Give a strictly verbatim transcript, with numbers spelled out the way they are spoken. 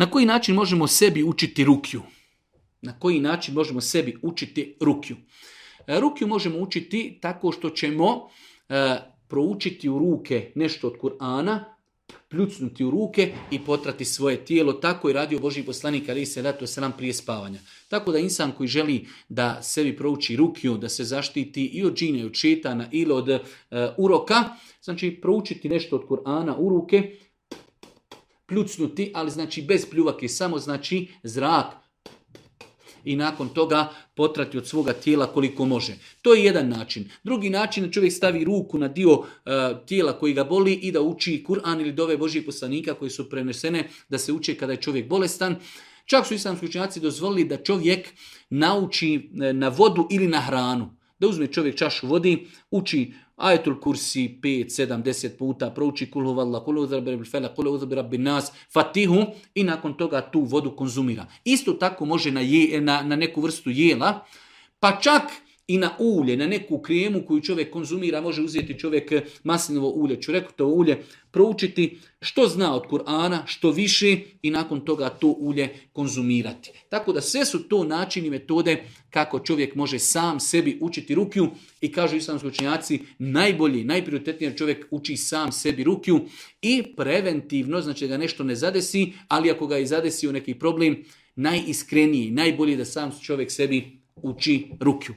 Na koji način možemo sebi učiti rukju? Na koji način možemo sebi učiti rukju? Rukju možemo učiti tako što ćemo e, proučiti u ruke nešto od Kur'ana, pljucnuti u ruke i potrati svoje tijelo. Tako je radio Božji poslanik alejhi selatu vesselam prije spavanja. Tako da insan koji želi da sebi prouči rukju, da se zaštiti i od džina, i od šetana ili od e, uroka, znači proučiti nešto od Kur'ana u ruke, pljucnuti, ali znači bez pljuvake, samo znači zrak, i nakon toga potrati od svoga tijela koliko može. To je jedan način. Drugi način je čovjek stavi ruku na dio uh, tijela koji ga boli i da uči Kur'an ili dove Božjih poslanika koji su prenesene da se uče kada je čovjek bolestan. Čak su islamski učenjaci dozvolili da čovjek nauči na vodu ili na hranu. Da uzme čovjek čašu vodi, uči ajetul kursi pet, sedam, deset puta, prouči kul huvallah, kul uzu birabbil felak, kul uzu birabbin nas, fatihu i nakon toga tu vodu konzumira. Isto tako može na, je, na, na neku vrstu jela, pa čak i na ulje, na neku kremu koju čovjek konzumira, može uzeti čovjek maslinovo ulje, čurekutovo ulje, proučiti što zna od Kur'ana, što više i nakon toga to ulje konzumirati. Tako da sve su to načini, metode kako čovjek može sam sebi učiti rukju i kažu islamski učenjaci najbolji, najprioritetniji čovjek uči sam sebi rukju i preventivno, znači da ga nešto ne zadesi, ali ako ga i zadesi u neki problem, najiskreniji, najbolji da sam čovjek sebi uči rukju.